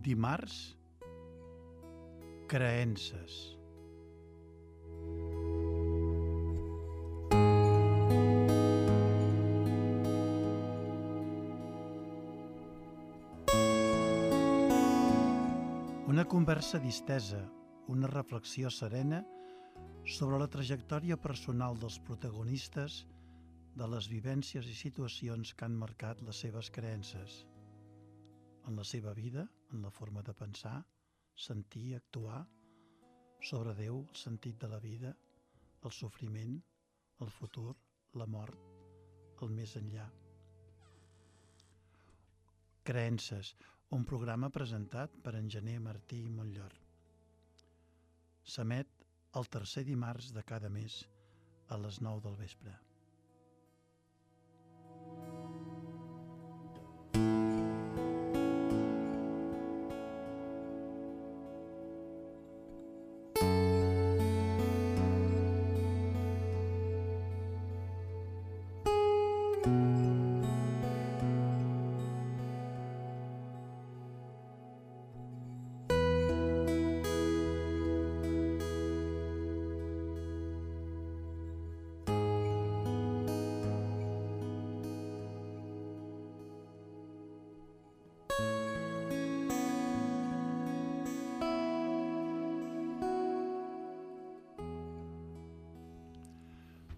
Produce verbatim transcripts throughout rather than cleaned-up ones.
Dimarts, creences. Una conversa distesa, una reflexió serena sobre la trajectòria personal dels protagonistes, de les vivències i situacions que han marcat les seves creences, en la seva vida, en la forma de pensar, sentir, actuar, sobre Déu, el sentit de la vida, el sofriment, el futur, la mort, el més enllà. Creences, un programa presentat per en Gener Martí i Montllor. S'emet el tercer dimarts de cada mes a les nou del vespre.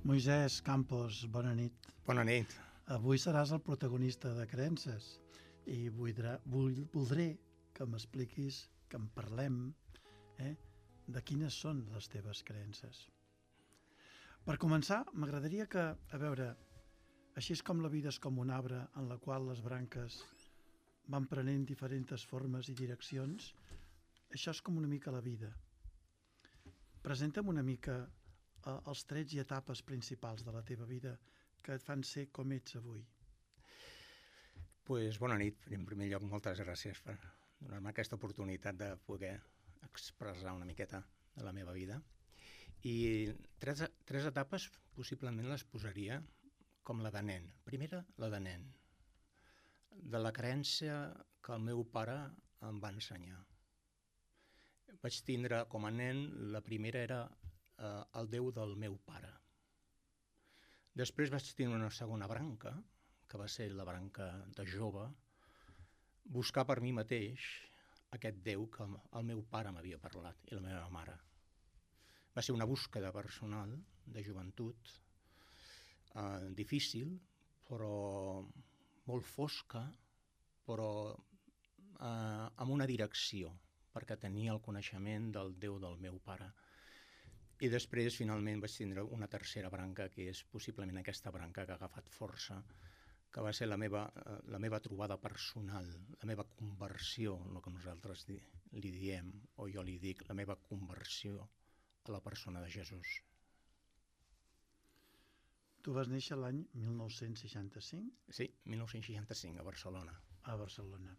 Moisès Campos, bona nit. Bona nit. Avui seràs el protagonista de Creences i voldrà, voldré que m'expliquis, que en parlem, eh, de quines són les teves creences. Per començar, m'agradaria que, a veure, així és com la vida és com un arbre en la qual les branques van prenent diferents formes i direccions, això és com una mica la vida. Presenta'm una mica els trets i etapes principals de la teva vida que et fan ser com ets avui. Pues, bona nit. En primer lloc, moltes gràcies per donar-me aquesta oportunitat de poder expressar una miqueta de la meva vida. I tres, tres etapes possiblement les posaria com la de nen. Primera, la de nen. De la creença que el meu pare em va ensenyar. Vaig tindre com a nen, la primera era Uh, el Déu del meu pare. Després vaig tenir una segona branca, que va ser la branca de jove, buscar per mi mateix aquest Déu que el meu pare m'havia parlat i la meva mare. Va ser una búsqueda personal de joventut, uh, difícil, però molt fosca, però uh, amb una direcció, perquè tenia el coneixement del Déu del meu pare. I després, finalment, vaig tindre una tercera branca, que és possiblement aquesta branca que ha agafat força, que va ser la meva, la meva trobada personal, la meva conversió, el que nosaltres di, li diem, o jo li dic, la meva conversió a la persona de Jesús. Tu vas néixer l'any mil nou-cents seixanta-cinc? Sí, mil nou-cents seixanta-cinc, a Barcelona. A Barcelona.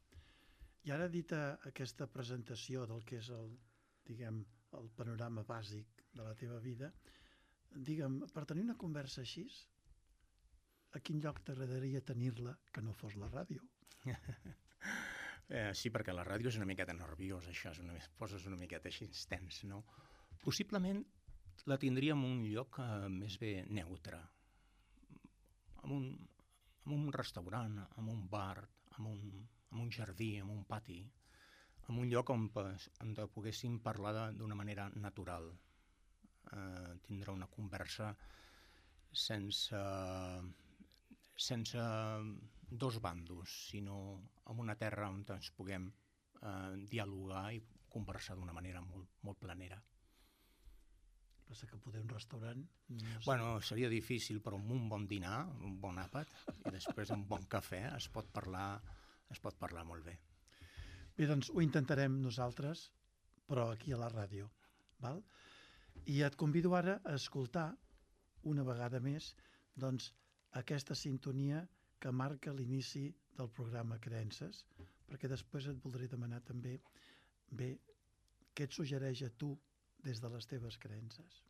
I ara, dita aquesta presentació del que és el, diguem, el panorama bàsic de la teva vida, digue'm, per tenir una conversa així, a quin lloc t'agradaria tenir-la que no fos la ràdio? eh, sí, perquè la ràdio és una miqueta nerviosa, això, és una, poses una miqueta així tens, no? Possiblement la tindria en un lloc eh, més bé neutre, en un, en un restaurant, en un bar, en un, en un jardí, en un pati, en un lloc on, on poguéssim parlar d'una manera natural, eh, tindre una conversa sense, sense dos bandos, sinó en una terra on ens puguem eh, dialogar i conversar d'una manera molt, molt planera. Passa que poder un restaurant... No sé. Bueno, seria difícil, però amb un bon dinar, un bon àpat, i després un bon cafè es pot parlar, es pot parlar molt bé. Bé, doncs ho intentarem nosaltres, però aquí a la ràdio. Val? I et convido ara a escoltar una vegada més doncs, aquesta sintonia que marca l'inici del programa Creences, perquè després et voldré demanar també bé, què et suggereix a tu des de les teves creences.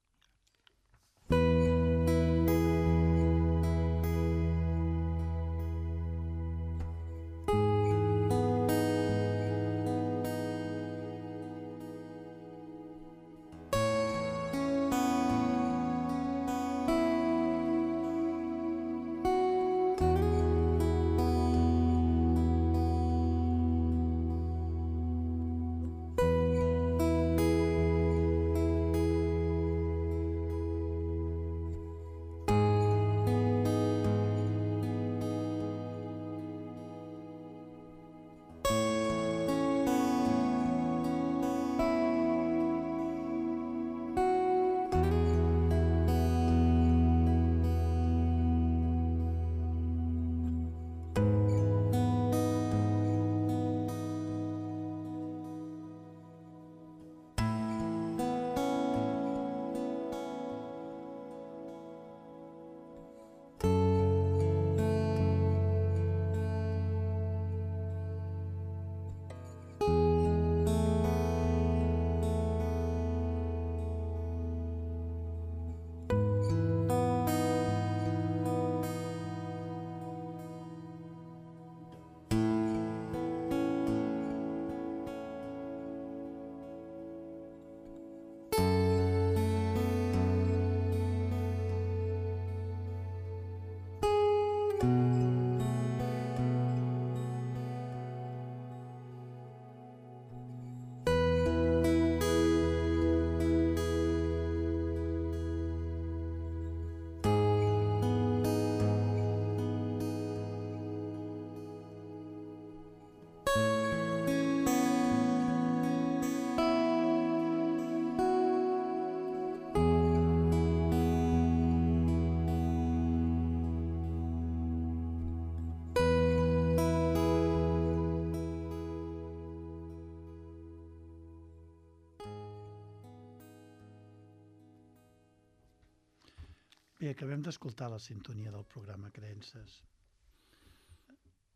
Bé, acabem d'escoltar la sintonia del programa Creences.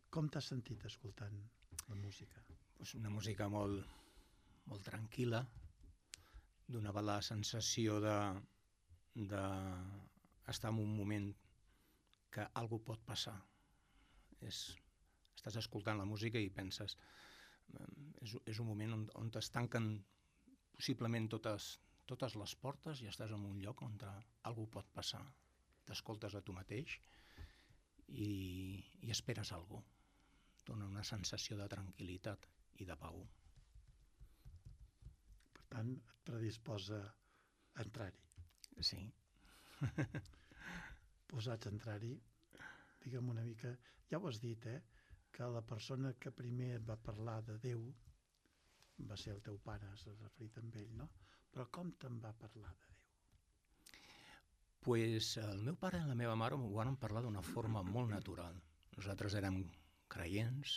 Com t'has sentit escoltant la música? Pues una música molt, molt tranquil·la, donava la sensació de, de estar en un moment que algú pot passar. És, estàs escoltant la música i penses, és, és un moment on, on es tanquen possiblement totes, totes les portes i estàs en un lloc on algú pot passar. T'escoltes a tu mateix i, i esperes algú. Dona una sensació de tranquil·litat i de pau. Per tant, et predisposa a entrar-hi. Sí. Posats a entrar-hi, digue'm una mica, ja ho has dit, eh? Que la persona que primer et va parlar de Déu va ser el teu pare, has referit amb ell, no? Però com te'n va parlar de Déu? Pues el meu pare i la meva mare m'ho van parlar d'una forma molt natural. Nosaltres érem creients,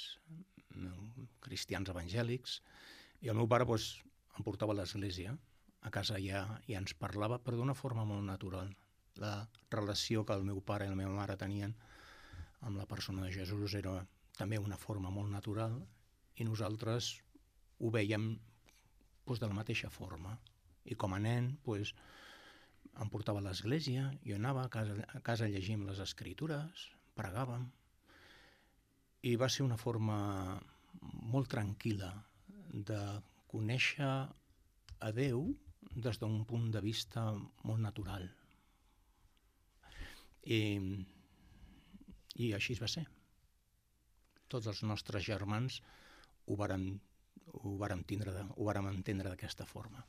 cristians evangèlics, i el meu pare pues, em portava a l'església. A casa ja, ja ens parlava, però d'una forma molt natural. La relació que el meu pare i la meva mare tenien amb la persona de Jesús era també una forma molt natural i nosaltres ho veiem pues, de la mateixa forma. I com a nen pues, em portava a l'església, jo anava a casa, a casa llegim les escritures, pregàvem, i va ser una forma molt tranquil·la de conèixer a Déu des d'un punt de vista molt natural. I, i així va ser. Tots els nostres germans ho vàrem, ho vàrem, tindre, ho vàrem entendre d'aquesta forma.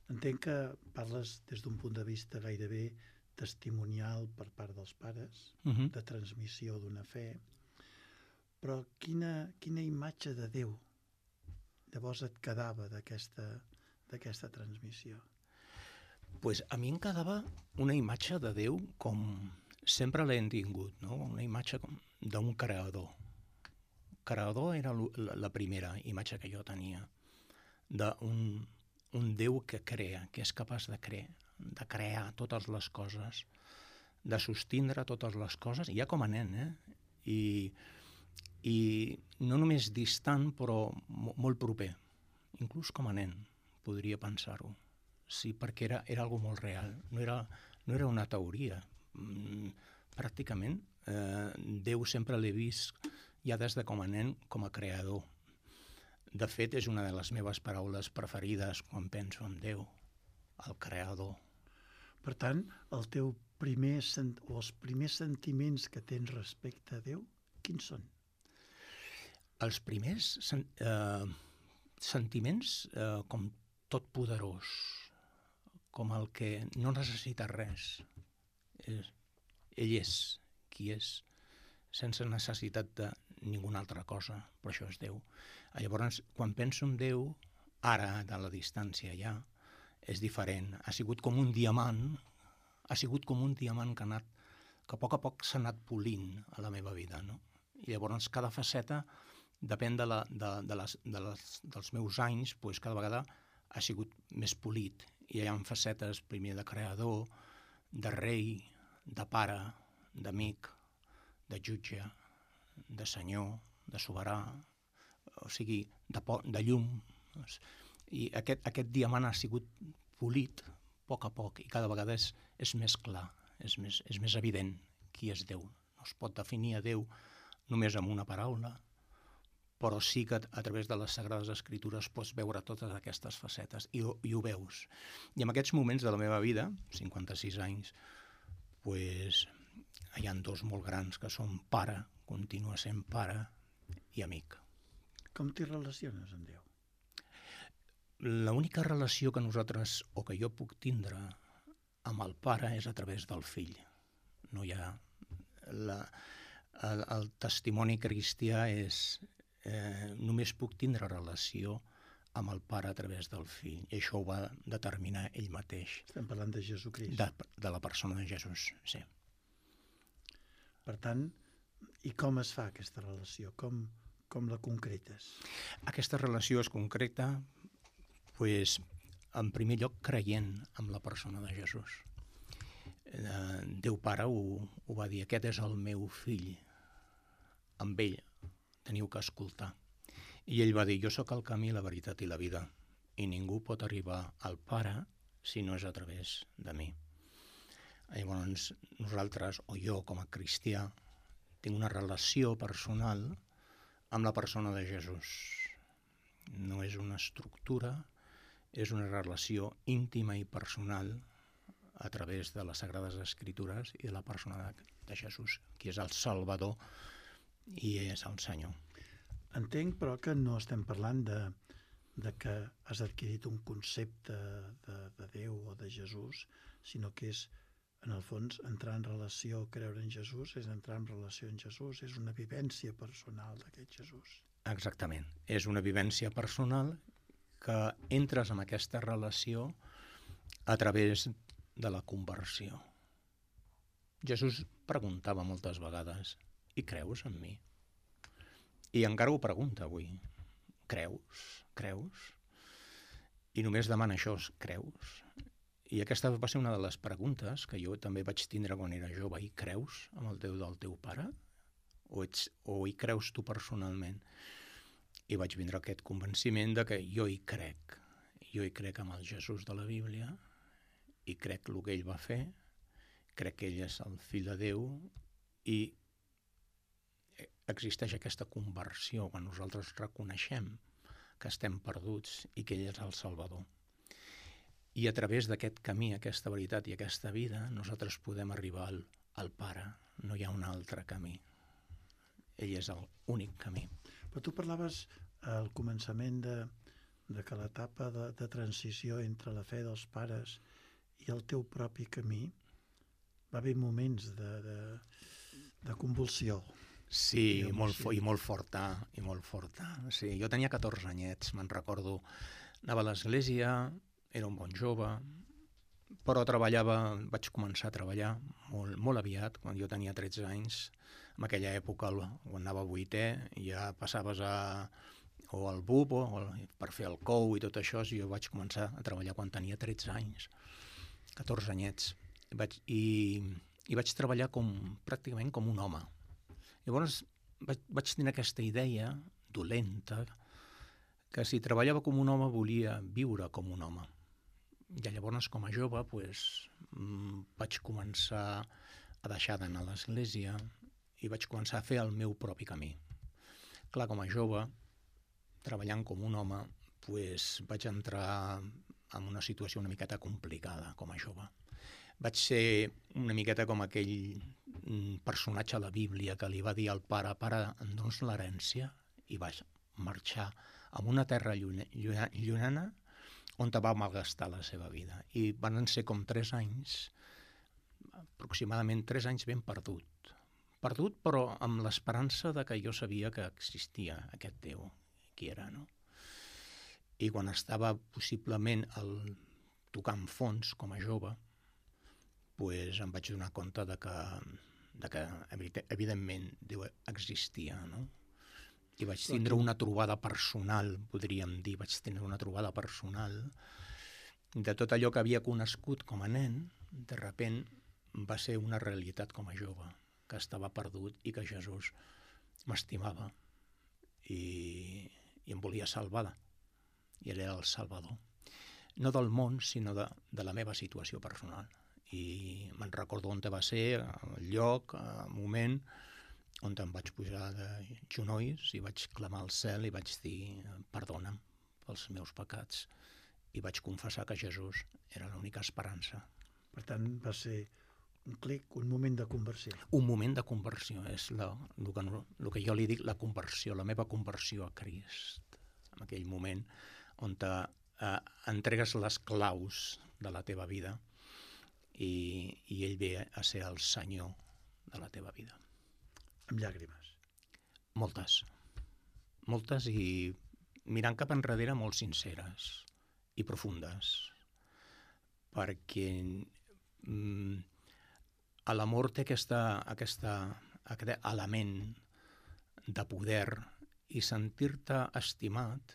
Entenc que parles des d'un punt de vista gairebé testimonial per part dels pares, uh-huh. de transmissió d'una fe, però quina, quina imatge de Déu llavors et quedava d'aquesta, d'aquesta transmissió? Pues a mi em quedava una imatge de Déu com sempre l'hem tingut, no? Una imatge d'un creador. Creador era la primera imatge que jo tenia, d'un un Déu que crea, que és capaç de crear, de crear totes les coses, de sostindre totes les coses, ja com a nen, eh? I, i no només distant, però molt proper, inclús com a nen, podria pensar-ho. Sí, perquè era, era algo molt real, no era, no era una teoria. Mm, pràcticament, eh, Déu sempre l'he vist, ja des de com a nen, com a creador. De fet, és una de les meves paraules preferides quan penso en Déu, el creador. Per tant, el teu primer sent... o els primers sentiments que tens respecte a Déu, quins són? Els primers sen... eh, sentiments eh, com totpoderós, com el que no necessita res. És... Ell és qui és, sense necessitat de ninguna altra cosa, però això és Déu. Llavors, quan penso en Déu, ara, de la distància ja, és diferent. Ha sigut com un diamant, ha sigut com un diamant que ha anat, que a poc a poc s'ha anat polint a la meva vida, no? I llavors cada faceta, depèn de la, de, de les, de les, dels meus anys, doncs cada vegada ha sigut més polit. I hi ha facetes primer de creador, de rei, de pare, d'amic, de jutge, de senyor, de soberà, o sigui, de, po de llum. I aquest, aquest diamant ha sigut polit a poc a poc i cada vegada és, és més clar, és més, és més evident qui és Déu. No es pot definir a Déu només amb una paraula, però sí que a través de les Sagrades Escritures pots veure totes aquestes facetes i, i ho veus. I en aquests moments de la meva vida, cinquanta-sis anys, pues, hi ha dos molt grans que són pare, continua sent pare i amic. Com t'hi relaciones amb Déu? L'única relació que nosaltres, o que jo puc tindre amb el pare és a través del fill. No hi ha... La, el, el testimoni cristià és... Eh, només puc tindre relació amb el pare a través del fill. I això ho va determinar ell mateix. Estem parlant de Jesucrist. De, de la persona de Jesús, sí. Per tant, i com es fa aquesta relació? Com, com la concretes? Aquesta relació es concreta, pues, en primer lloc, creient en la persona de Jesús. Eh, Déu Pare ho, ho va dir, aquest és el meu fill, amb ell teniu que escoltar. I ell va dir, jo sóc el camí, la veritat i la vida, i ningú pot arribar al Pare si no és a través de mi. Llavors, nosaltres, o jo com a cristià, tinc una relació personal amb la persona de Jesús. No és una estructura, és una relació íntima i personal a través de les Sagrades Escritures i de la persona de, de Jesús, qui és el Salvador i és el Senyor. Entenc, però, que no estem parlant de, de que has adquirit un concepte de, de Déu o de Jesús, sinó que és, en el fons, entrar en relació, creure en Jesús, és entrar en relació amb Jesús, és una vivència personal d'aquest Jesús. Exactament. És una vivència personal que entres en aquesta relació a través de la conversió. Jesús preguntava moltes vegades, i creus en mi? I encara ho pregunta avui. Creus? Creus? I només demana això, creus? I aquesta va ser una de les preguntes que jo també vaig tindre quan era jove. I creus en el Déu del teu pare? O, ets, o hi creus tu personalment? I vaig vindre aquest convenciment de que jo hi crec. Jo hi crec amb el Jesús de la Bíblia, i crec el que ell va fer, crec que ell és el fill de Déu, i existeix aquesta conversió quan nosaltres reconeixem que estem perduts i que ell és el Salvador. I a través d'aquest camí, aquesta veritat i aquesta vida, nosaltres podem arribar al, al Pare. No hi ha un altre camí. Ell és l'únic camí. Però tu parlaves al començament de, de que l'etapa de, de transició entre la fe dels pares i el teu propi camí va haver moments de, de, de convulsió. Sí, i molt, i molt forta, i molt forta. Sí, jo tenia catorze anyets, me'n recordo. Anava a l'església, era un bon jove, però treballava, vaig començar a treballar molt, molt aviat, quan jo tenia tretze anys. En aquella època, quan anava a vuitè, ja passaves a, o al B U P, o per fer el C O U i tot això, jo vaig començar a treballar quan tenia tretze anys. catorze anyets, vaig, i, i vaig treballar com, pràcticament com un home. Llavors vaig, vaig tenir aquesta idea dolenta que si treballava com un home volia viure com un home. I llavors, com a jove, pues, vaig començar a deixar d'anar a l'església i vaig començar a fer el meu propi camí. Clar, com a jove, treballant com un home, pues, vaig entrar en una situació una miqueta complicada com a jove. Vaig ser una miqueta com aquell personatge a la Bíblia que li va dir al pare, pare, em dones l'herència? I vaig marxar a una terra llunyana on va malgastar la seva vida. I van ser com tres anys, aproximadament tres anys ben perdut. Perdut, però amb l'esperança de que jo sabia que existia aquest Déu, qui era, no? I quan estava possiblement al tocant fons com a jove, pues em vaig donar compte de que, de que evidentment Déu existia, no? I vaig tindre una trobada personal, podríem dir, vaig tindre una trobada personal de tot allò que havia conegut com a nen, de repent va ser una realitat com a jove, que estava perdut i que Jesús m'estimava i, i em volia salvar. I ell era el Salvador. No del món, sinó de, de la meva situació personal. I me'n recordo on va ser, el lloc, el moment, on em vaig pujar de genolls i vaig clamar al cel i vaig dir perdona'm pels meus pecats. I vaig confessar que Jesús era l'única esperança. Per tant, va ser un clic, un moment de conversió. Un moment de conversió, és la, el, que, el que jo li dic, la conversió, la meva conversió a Crist. En aquell moment on te, eh, entregues les claus de la teva vida i, i ell ve a ser el senyor de la teva vida. Amb llàgrimes. Moltes. Moltes i mirant cap enrere molt sinceres i profundes. Perquè mm, l'amor té aquesta, aquesta, aquest element de poder i sentir-te estimat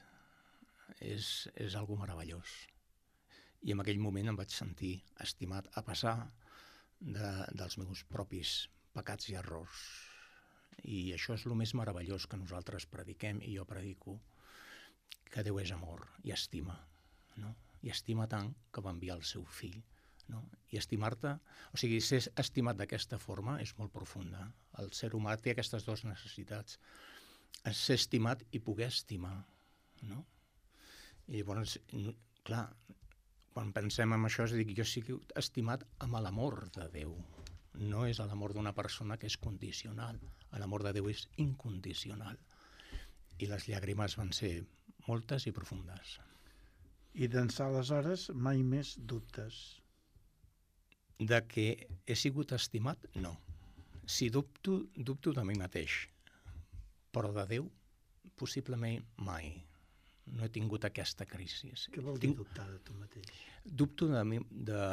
és, és algo meravellós. I en aquell moment em vaig sentir estimat, a pesar de, dels meus propis pecats i errors. I això és el més meravellós que nosaltres prediquem, i jo predico, que Déu és amor i estima, no? I estima tant que va enviar el seu fill, no? I estimar-te, o sigui, ser estimat d'aquesta forma és molt profunda. El ser humà té aquestes dues necessitats, ser estimat i poder estimar, no? I llavors, clar, quan pensem en això, és a dir, jo sí que he estimat amb l'amor de Déu. No és l'amor d'una persona que és condicional. L'amor de Déu és incondicional. I les llàgrimes van ser moltes i profundes. I d'ençà aleshores mai més dubtes. De que he sigut estimat, no. Si dubto, dubto de mi mateix. Però de Déu, possiblement mai. No he tingut aquesta crisi. Què vol dir Tinc... dubtar de tu mateix? Dubto de mi, de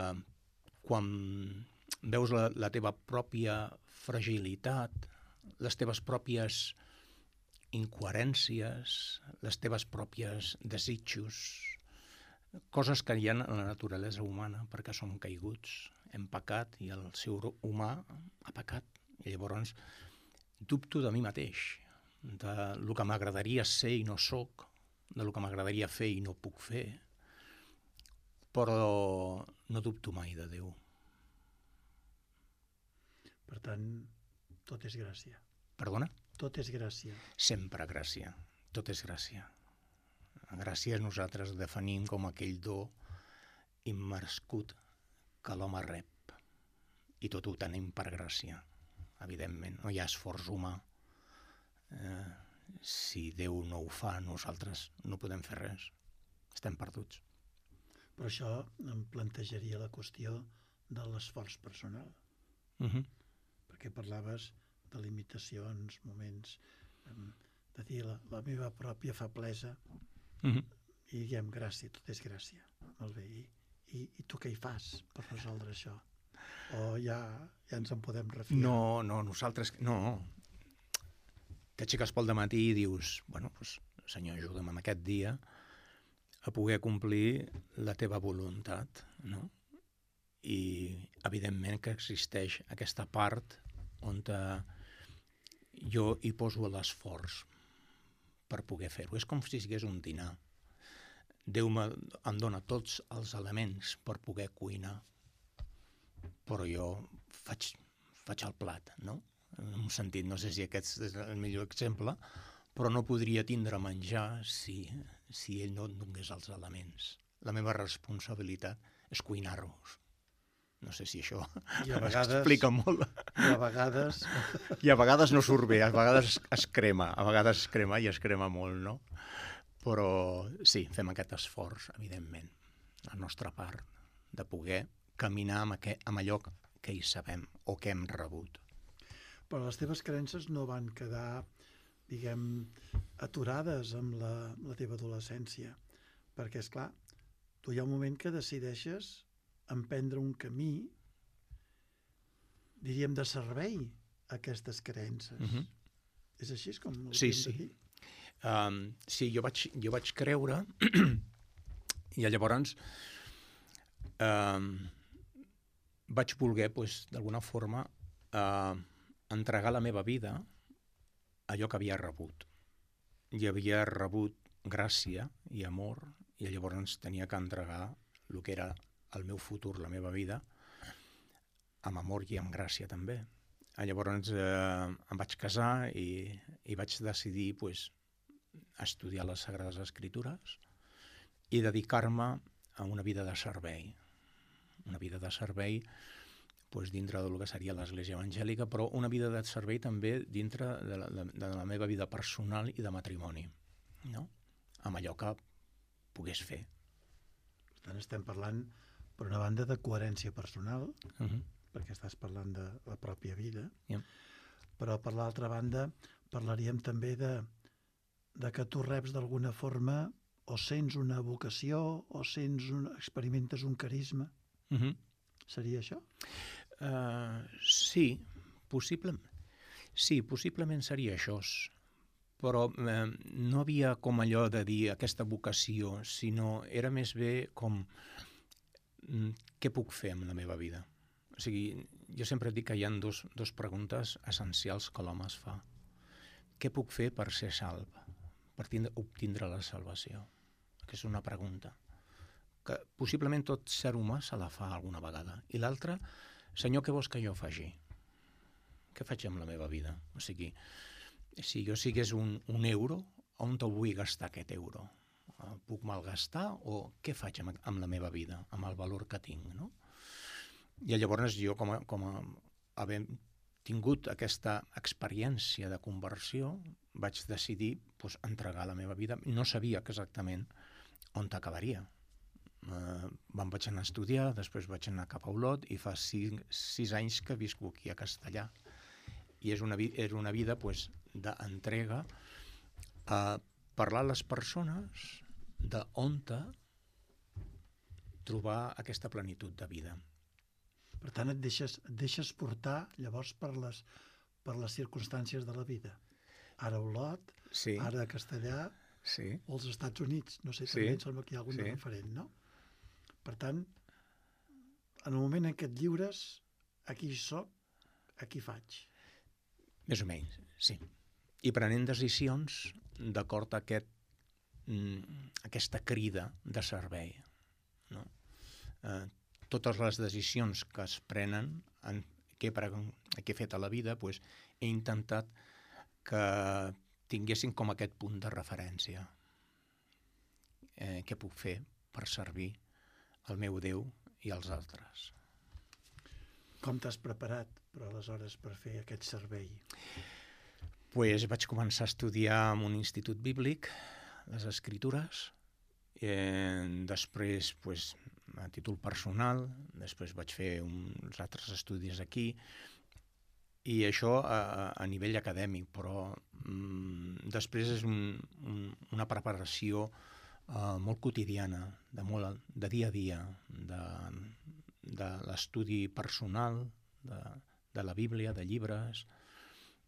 quan veus la, la teva pròpia fragilitat, les teves pròpies incoherències, les teves pròpies desitjos, coses que hi ha en la naturalesa humana, perquè som caiguts, hem pecat i el ser humà ha pecat. I llavors dubto de mi mateix, de lo que m'agradaria ser i no soc, de lo que m'agradaria fer i no puc fer, però no dubto mai de Déu. Per tant, tot és gràcia. Perdona? Tot és gràcia. Sempre gràcia. Tot és gràcia. La gràcia nosaltres definim com aquell do immerescut que l'home rep. I tot ho tenim per gràcia, evidentment. No hi ha esforç humà. Eh, si Déu no ho fa, nosaltres no podem fer res. Estem perduts. Però això em plantejaria la qüestió de l'esforç personal. Uh-huh. Perquè parlaves de limitacions, moments, de dir la, la meva pròpia feblesa, uh-huh. i diguem gràcia, tot és gràcia. Molt bé, i, i, i tu què hi fas per resoldre això? O ja, ja ens en podem refiar? No, no, nosaltres... No. T'aixeques pel dematí i dius, bueno, doncs, Senyor, ajuda'm en aquest dia a poder complir la teva voluntat, no? I, evidentment, que existeix aquesta part on te, jo hi poso l'esforç per poder fer-ho. És com si sigués un dinar. Déu em dona tots els elements per poder cuinar, però jo faig, faig el plat, no? En un sentit, no sé si aquest és el millor exemple, però no podria tindre menjar si, si ell no et donés els elements. La meva responsabilitat és cuinar-los. No sé si això explica molt. I a vegades... I a vegades no surt bé, a vegades es crema, a vegades es crema i es crema molt, no? Però sí, fem aquest esforç, evidentment, la nostra part, de poder caminar amb, aquest, amb allò que hi sabem o que hem rebut. Però les teves creences no van quedar, diguem, aturades amb la, la teva adolescència. Perquè, és clar, tu hi ha un moment que decideixes emprendre un camí, diríem, de servei a aquestes creences. Uh-huh. És així com ho sí, hauríem sí. de dir? Um, sí, jo vaig, jo vaig creure i llavors um, vaig voler, pues, d'alguna forma, uh, entregar la meva vida a allò que havia rebut. I havia rebut gràcia i amor, i llavors tenia que entregar el que era el meu futur, la meva vida, amb amor i amb gràcia també. Llavors eh, em vaig casar i, i vaig decidir pues, estudiar les Sagrades Escritures i dedicar-me a una vida de servei. Una vida de servei pues, dintre del que seria l'Església Evangèlica, però una vida de servei també dintre de la, de, de la meva vida personal i de matrimoni, no? Amb allò que pogués fer. Per tant, estem parlant, per una banda, de coherència personal, uh-huh. perquè estàs parlant de la pròpia vida, yeah. però per l'altra banda parlaríem també de, de que tu reps d'alguna forma o sents una vocació o sents un, experimentes un carisma. Uh-huh. Seria això? Uh, sí, possiblement. Sí, possiblement seria això. Però eh, no havia com allò de dir aquesta vocació, sinó era més bé com mm, què puc fer amb la meva vida. O O sigui, jo sempre dic que hi ha dos, dos preguntes essencials que l'home es fa. Què puc fer per ser salv? Per tindre, obtindre la salvació? Que és una pregunta que possiblement tot ser humà se la fa alguna vegada. I l'altra, Senyor, què vols que jo faci? Què faig amb la meva vida? O sigui, si jo sigués un, un euro, on te'l vull gastar aquest euro? El puc malgastar o què faig amb, amb la meva vida, amb el valor que tinc, no? I llavors jo, com a, com a havent tingut aquesta experiència de conversió, vaig decidir doncs, entregar la meva vida. No sabia exactament on acabaria. Uh, me'n vaig anar a estudiar, després vaig anar cap a Olot i fa sis, sis anys que visc aquí a Castellà. I és una, era una vida pues, d'entrega a parlar a les persones d'on trobar aquesta plenitud de vida. Per tant, et deixes, et deixes portar llavors per les, per les circumstàncies de la vida. Ara a Olot, sí. Ara a Castellà, sí. O als Estats Units. No sé, sí. també em sembla que hi ha algun sí. referent, no? Per tant, en el moment en què et lliures, aquí soc, aquí faig. Més o menys, sí. I prenent decisions d'acord a aquest, aquesta crida de servei. No? Eh, totes les decisions que es prenen, en, que, he, que he fet a la vida, pues, he intentat que tinguessin com aquest punt de referència. Eh, què puc fer per servir el meu Déu i els altres? Com t'has preparat, però, aleshores, per fer aquest servei? Pues vaig començar a estudiar en un institut bíblic, les Escritures, eh, després, pues, a títol personal, després vaig fer uns altres estudis aquí, i això a, a nivell acadèmic, però mm, després és un, un, una preparació uh, molt quotidiana, de, molt, de dia a dia, de, de l'estudi personal, de, de la Bíblia, de llibres,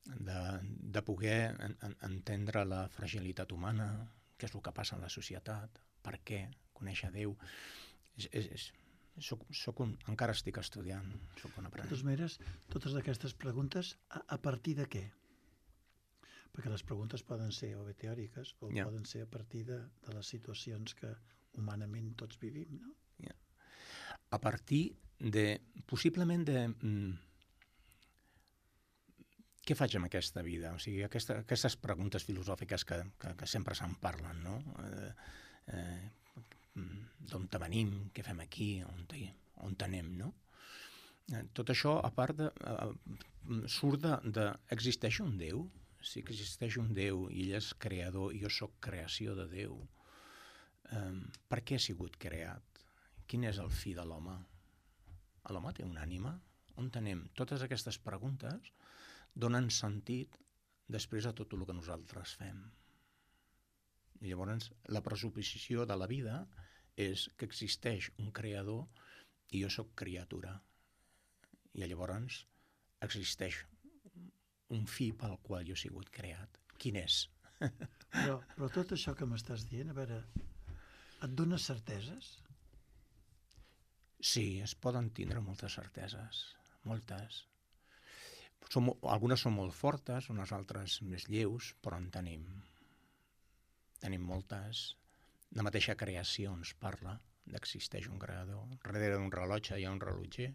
de, de poder en, en, entendre la fragilitat humana, què és el que passa en la societat, per què, conèixer Déu. És, és, és, soc, soc un, encara estic estudiant, soc un aprenent. De totes maneres, totes aquestes preguntes, a, a partir de què? Perquè les preguntes poden ser o bé teòriques o yeah. poden ser a partir de, de les situacions que humanament tots vivim, no? Yeah. A partir de, possiblement de... Mm, què faig amb aquesta vida? O sigui, aquesta, aquestes preguntes filosòfiques que, que, que sempre se'n parlen, no? Eh, eh, d'on venim, què fem aquí, on, on anem, no? Tot això, a part de... Uh, surt de, de... Existeix un Déu? Sí que existeix un Déu i ell és creador i jo sóc creació de Déu. Um, per què ha sigut creat? Quin és el fi de l'home? L'home té una ànima? On anem? Totes aquestes preguntes donen sentit després a tot el que nosaltres fem. I llavors la pressuposició de la vida és que existeix un creador i jo sóc criatura. I llavors existeix un fi pel qual jo he sigut creat. Quin és? Però, però tot això que m'estàs dient, a veure, et dona certeses? Sí, es poden tindre moltes certeses, moltes. Som, algunes són molt fortes, unes altres més lleus, però en tenim. Tenim moltes. La mateixa creació ens parla d'existeix un creador. Darrere d'un rellotge hi ha un rellotger,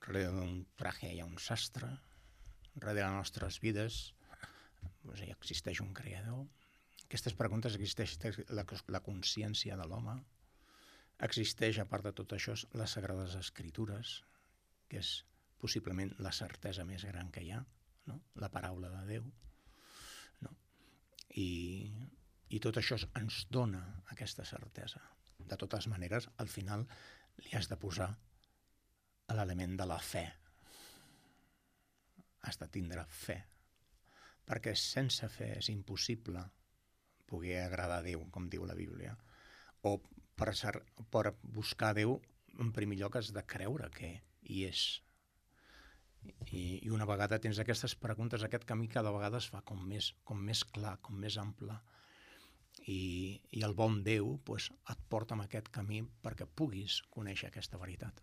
darrere d'un traje hi ha un sastre, darrere de les nostres vides doncs, hi existeix un creador. Aquestes preguntes existeix la, la consciència de l'home, existeix, a part de tot això, les Sagrades Escritures, que és possiblement la certesa més gran que hi ha, no? La paraula de Déu. No? I... I tot això ens dona aquesta certesa. De totes maneres, al final li has de posar l'element de la fe. Has de tindre fe. Perquè sense fe és impossible poder agradar a Déu, com diu la Bíblia. O per, ser, per buscar Déu, en primer lloc has de creure que hi és. I, i una vegada tens aquestes preguntes, aquest camí cada vegada es fa com més, com més clar, com més ample. I, i el bon Déu pues, et porta en aquest camí perquè puguis conèixer aquesta veritat.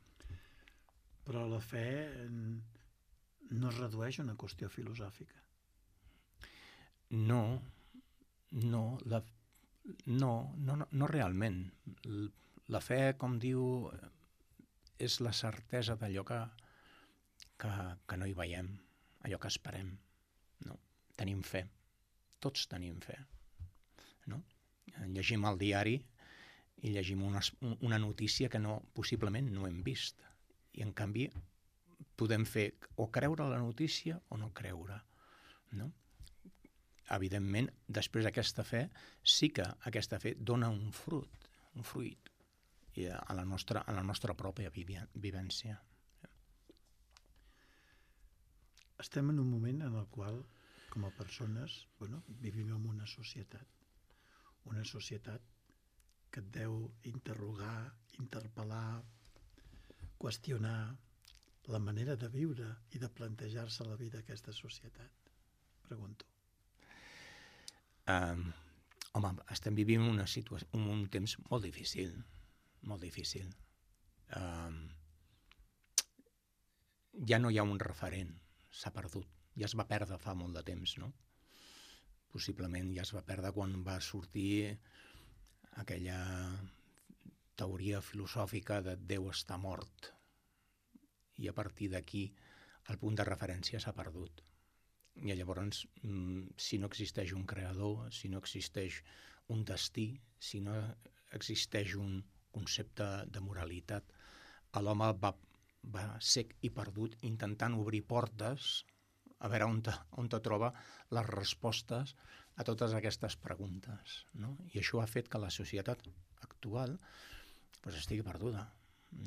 Però la fe no es redueix a una qüestió filosòfica. No, no, la, no, no, no, no realment. La fe, com diu, és la certesa d'allò que, que, que no hi veiem, allò que esperem. No? Tenim fe, tots tenim fe. No? Llegim el diari i llegim una, una notícia que no, possiblement no hem vist. I en canvi podem fer o creure la notícia o no creure. No? Evidentment, després d'aquesta fe, sí que aquesta fe dona un fruit, un fruit a la nostra, a la nostra pròpia vivència. Estem en un moment en el qual, com a persones, bueno, vivim en una societat. Una societat que et deu interrogar, interpel·lar, qüestionar la manera de viure i de plantejar-se la vida d'aquesta societat. Pregunto. Um, home, estem vivint una situació, un, un temps molt difícil, molt difícil. Um, ja no hi ha un referent, s'ha perdut, ja es va perdre fa molt de temps, no? Possiblement ja es va perdre quan va sortir aquella teoria filosòfica de Déu està mort, i a partir d'aquí el punt de referència s'ha perdut. I llavors, si no existeix un creador, si no existeix un destí, si no existeix un concepte de moralitat, l'home va, va sec i perdut intentant obrir portes a veure on te, on te troba les respostes a totes aquestes preguntes. No? I això ha fet que la societat actual pues, estigui perduda.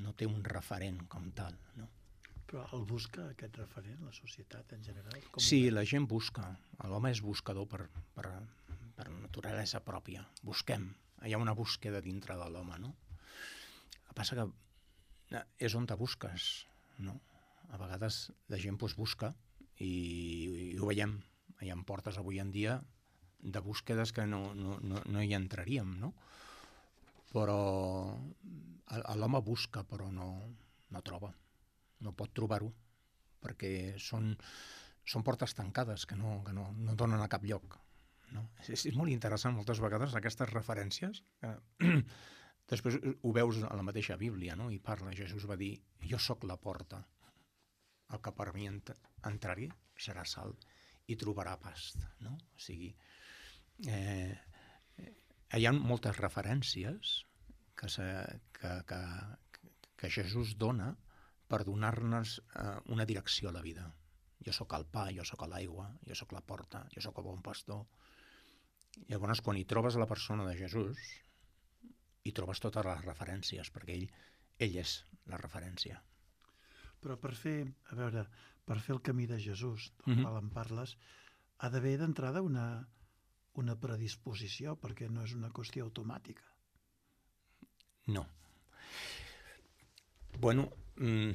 No té un referent com tal, no? Però el busca aquest referent, la societat en general? Com sí, la gent busca. L'home és buscador per, per, per naturalesa pròpia. Busquem. Hi ha una búsqueda dintre de l'home, no? El que passa que és on te busques, no? A vegades la gent pues, busca i, i ho veiem. Hi ha portes avui en dia de búsquedes que no, no, no, no hi entraríem, no? Però l'home busca, però no, no troba. No pot trobar-ho, perquè són, són portes tancades que no, que no, no donen a cap lloc. No? És, és molt interessant moltes vegades aquestes referències. Eh, després ho veus a la mateixa Bíblia, no? I parla, Jesús va dir, jo sóc la porta, el que per mi ent entrar-hi serà salt i trobarà past. No? O sigui, eh, hi ha moltes referències que, se, que, que, que Jesús dona per donar-nos eh, una direcció a la vida. Jo sóc el pa, jo sóc l'aigua, jo sóc la porta, jo sóc el bon pastor. Llavors, quan hi trobes la persona de Jesús, hi trobes totes les referències, perquè ell, ell és la referència. Però per fer, a veure, per fer el camí de Jesús, del Mm-hmm. qual en parles, ha d'haver d'entrada una, una predisposició, perquè no és una qüestió automàtica. No. Bueno, mm,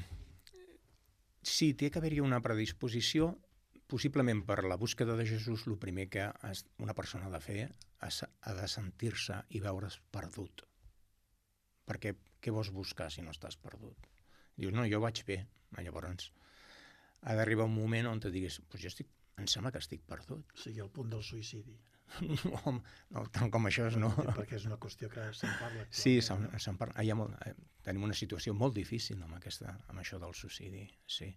sí, té que haver-hi una predisposició, possiblement per la búsqueda de Jesús, el primer que una persona ha de fer ha de sentir-se i veure's perdut. Perquè què vols buscar si no estàs perdut? Dius, no, jo vaig bé. Llavors, ha d'arribar un moment on te diguis, pues jo estic, em sembla que estic perdut. O sigui, al punt del suïcidi. No, no, tant com això és, no. Perquè és una qüestió que se'n parla. Sí, se'n se parla. Hi ha molt, tenim una situació molt difícil amb, aquesta, amb això del suïcidi, sí.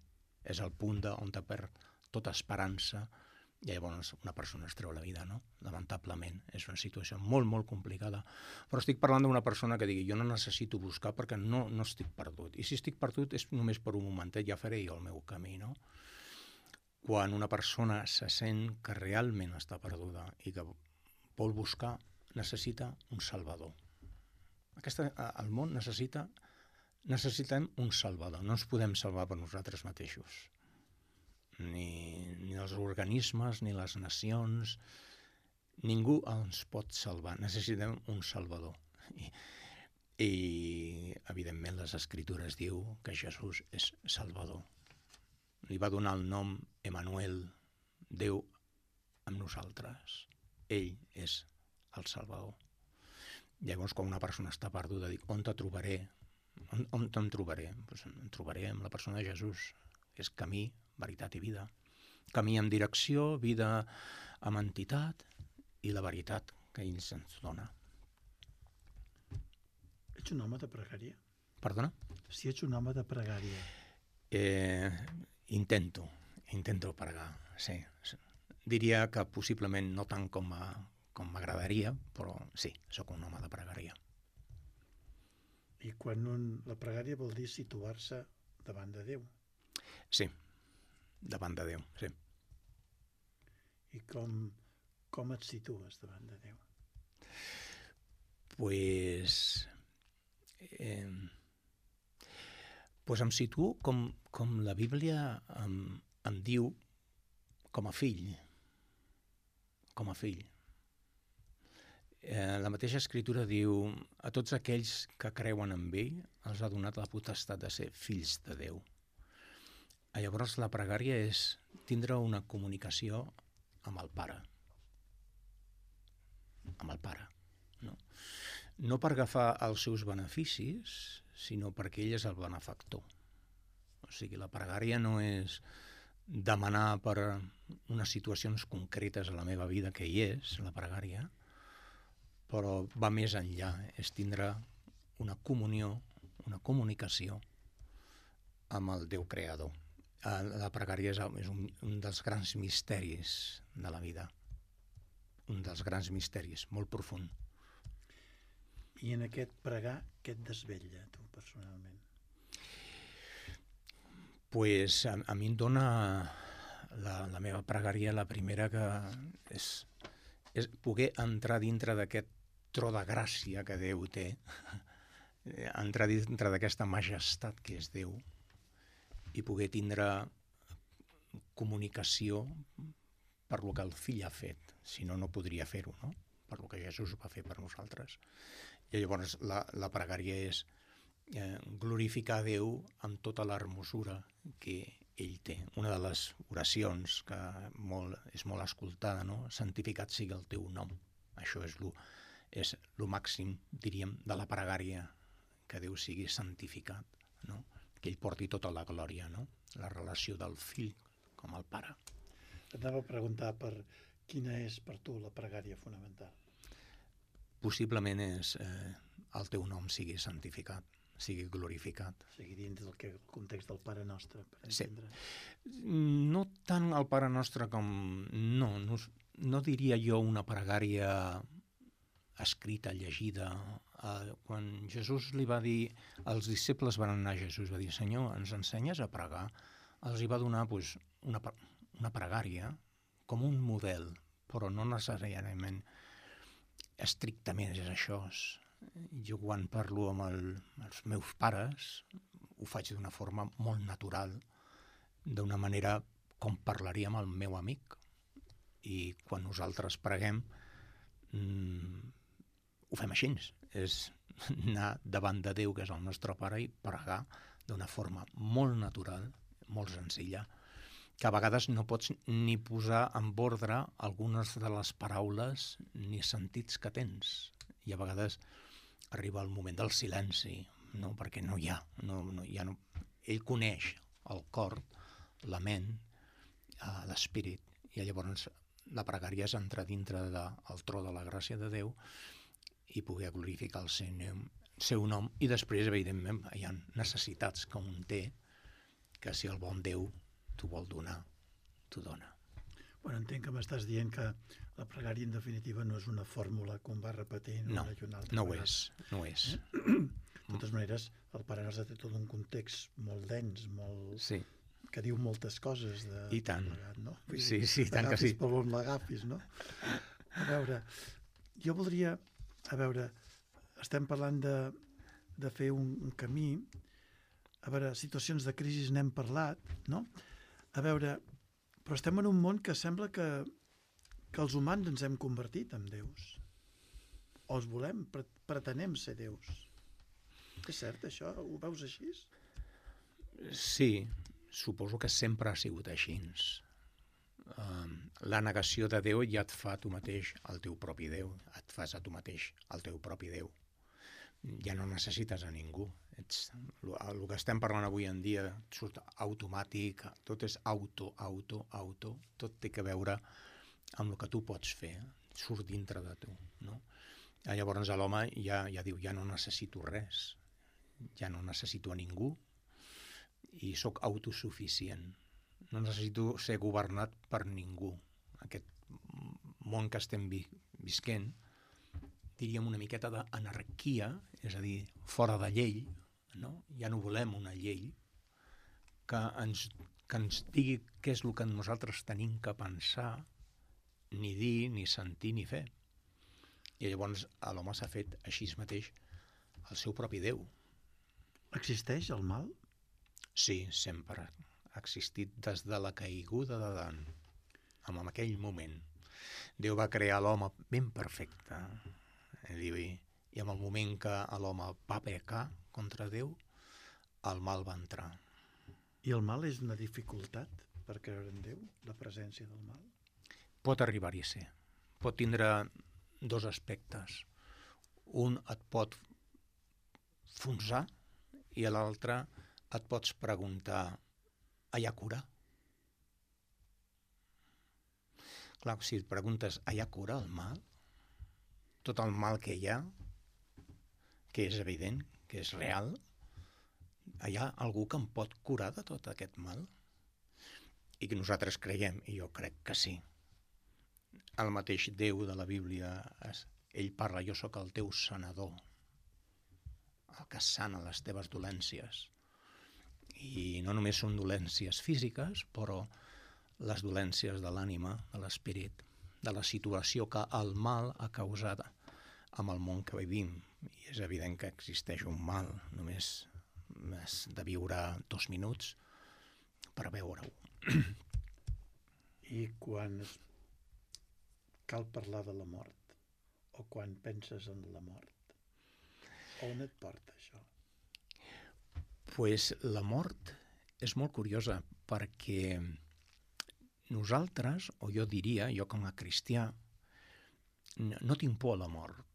És el punt on te perd tota esperança i llavors una persona es treu la vida, no? Lamentablement. És una situació molt, molt complicada. Però estic parlant d'una persona que digui jo no necessito buscar perquè no, no estic perdut. I si estic perdut és només per un momentet, ja faré jo el meu camí, no? Quan una persona se sent que realment està perduda i que vol buscar, necessita un salvador. Aquesta, el món necessita, necessitem un salvador. No ens podem salvar per nosaltres mateixos. Ni, ni els organismes, ni les nacions, ningú ens pot salvar. Necessitem un salvador. I, i evidentment, les Escritures diu que Jesús és salvador. Li va donar el nom Emmanuel, Déu amb nosaltres. Ell és el Salvador. Llavors, quan una persona està perduda, dic, on te trobaré? On, on em trobaré? Pues em trobaré amb la persona de Jesús. És camí, veritat i vida. Camí amb direcció, vida amb entitat i la veritat que ell ens dona. Ets un home de pregària? Perdona? Si ets un home de pregària. Eh, intento, intento pregar, sí. Diria que possiblement no tant com a, com m'agradaria, però sí, sóc un home de pregària. I quan un, la pregària vol dir situar-se davant de Déu. Sí, davant de Déu, sí. I com, com et situes davant de Déu? Pues, eh, pues em situo com, com la Bíblia em, em diu, com a fill, com a fill. Eh, la mateixa escritura diu: a tots aquells que creuen en ell els ha donat la potestat de ser fills de Déu. I llavors la pregària és tindre una comunicació amb el Pare. Amb el Pare. No, no per agafar els seus beneficis, sinó perquè ell és el benefactor. O sigui, la pregària no és demanar per unes situacions concretes a la meva vida, que hi és, la pregària, però va més enllà, és tindre una comunió, una comunicació amb el Déu creador. La pregària és un, un dels grans misteris de la vida, un dels grans misteris, molt profund. I en aquest pregar, què et desvetlla, tu, personalment? Pues a, a mi em dona la, la meva pregària, la primera, que és, és poder entrar dintre d'aquest tro de gràcia que Déu té, entrar dintre d'aquesta majestat que és Déu i poder tindre comunicació per lo que el fill ha fet, si no, no podria fer-ho, no? Per lo que Jesús va fer per nosaltres. I llavors la, la pregària és eh, glorificar a Déu amb tota l'hermosura que ell té. Una de les oracions que molt, és molt escoltada, no? Santificat sigui el teu nom. Això és lo és el màxim, diríem, de la pregària, que Déu sigui santificat, no? Que ell porti tota la glòria, no? La relació del fill com el pare. T'anava a preguntar per quina és per tu la pregària fonamental. Possiblement és eh, el teu nom sigui santificat, sigui glorificat. Sigui dins del que, el context del Pare Nostre, per entendre. Sí. No tant el Pare Nostre com... No, no, no diria jo una pregària escrita, llegida. Uh, quan Jesús li va dir, els disciples van anar a Jesús, va dir: Senyor, ens ensenyes a pregar? Els hi va donar pues, una, una pregària com un model, però no necessàriament estrictament és això. Jo quan parlo amb el, els meus pares ho faig d'una forma molt natural, d'una manera com parlaria amb el meu amic. I quan nosaltres preguem, mmm, ho fem així, és anar davant de Déu, que és el nostre Pare, i pregar d'una forma molt natural, molt senzilla, que a vegades no pots ni posar en ordre algunes de les paraules ni sentits que tens. I a vegades arriba el moment del silenci, no? Perquè no hi ha. No, no, ja no... Ell coneix el cor, la ment, eh, l'espírit, i llavors la pregària és entrar dintre del tro de la gràcia de Déu i poder glorificar el seu nom, seu nom. I després, evidentment, hi ha necessitats que un té, que si el bon Déu t'ho vol donar, t'ho dona. Bueno, entenc que m'estàs dient que la pregària, en definitiva, no és una fórmula que un va repetint no, una i una altra no ho vegada. és, no ho és. De totes maneres, el Pare Nostre té tot un context molt dens, molt... Sí. que diu moltes coses de... I tant. Plegat, no? Sí, sí, tant que sí. L'agafis per on l'agafis, no? A veure, jo voldria... A veure, estem parlant de, de fer un, un camí. A veure, situacions de crisi n'hem parlat, no? A veure, però estem en un món que sembla que, que els humans ens hem convertit en déus. O els volem, pretenem ser déus. És cert, això? Ho veus així? Sí, suposo que sempre ha sigut així. Uh, la negació de Déu ja et fa tu mateix el teu propi Déu, et fas a tu mateix el teu propi Déu. ja no necessites a ningú. Ets, el, el que estem parlant avui en dia surt automàtic, tot és auto, auto, auto, tot té a veure amb el que tu pots fer, surt dintre de tu, no? Llavors l'home ja, ja diu, ja no necessito res, ja no necessito a ningú i sóc autosuficient. No necessito ser governat per ningú. Aquest món que estem vi visquent, diríem una miqueta d'anarquia, és a dir, fora de llei, no? Ja no volem una llei que ens, que ens digui què és el que nosaltres tenim que pensar, ni dir, ni sentir, ni fer. I llavors l'home s'ha fet així mateix el seu propi Déu. Existeix el mal? Sí, sempre. Ha existit des de la caiguda d'Adam, en aquell moment. Déu va crear l'home ben perfecte, i en el moment que l'home va pecar contra Déu, el mal va entrar. I el mal és una dificultat per creure en Déu, la presència del mal? Pot arribar-hi a ser. Pot tindre dos aspectes. Un et pot fonsar i l'altre et pots preguntar, hi ha cura? Clar, si et preguntes, hi ha cura al mal? Tot el mal que hi ha, que és evident, que és real, hi ha algú que em pot curar de tot aquest mal? I que nosaltres creiem, i jo crec que sí. El mateix Déu de la Bíblia, ell parla, jo sóc el teu sanador, el que sana les teves dolències. I no només són dolències físiques, però les dolències de l'ànima, de l'esperit, de la situació que el mal ha causat amb el món que vivim. I és evident que existeix un mal, només has de viure dos minuts per veure-ho. I quan cal parlar de la mort, o quan penses en la mort, on et porta això? Pues la mort és molt curiosa, perquè nosaltres, o jo diria, jo com a cristià, no tinc por a la mort.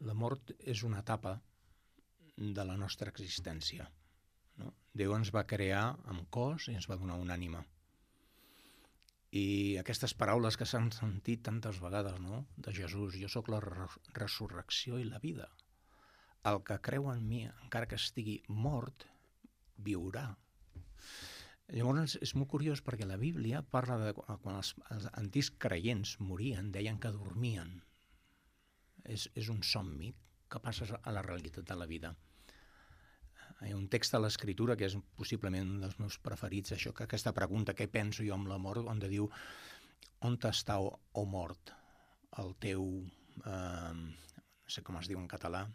La mort és una etapa de la nostra existència, no? Déu ens va crear amb cos i ens va donar una ànima. I aquestes paraules que s'han sentit tantes vegades, no?, de Jesús, jo sóc la resurrecció i la vida. El que creu en mi, encara que estigui mort, viurà. Llavors és molt curiós perquè la Bíblia parla de quan els, els antics creients morien, deien que dormien. És, és un somni que passes a la realitat de la vida. Hi ha un text a l'Escritura que és possiblement un dels meus preferits, això, que aquesta pregunta, què penso jo amb la mort, on diu, on està, o, o mort, el teu, eh, no sé com es diu en català,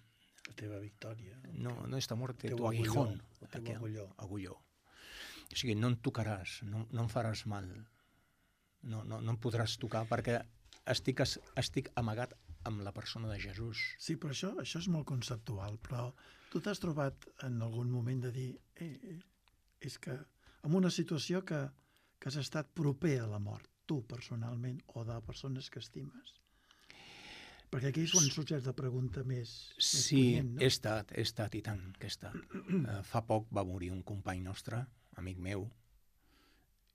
la teva victòria. No, no està mort, el tu aguijón. El teu agulló. agulló. O sigui, no em tocaràs, no, no em faràs mal, no, no, no em podràs tocar perquè estic, estic amagat amb la persona de Jesús. Sí, però això, això és molt conceptual, però tu t'has trobat en algun moment de dir eh, eh, és que en una situació que, que has estat proper a la mort, tu personalment, o de persones que estimes. Perquè aquí és quan sorgeix la pregunta més, més sí, punyent, no? he estat, he estat i tant que he estat. uh, fa poc va morir un company nostre, amic meu,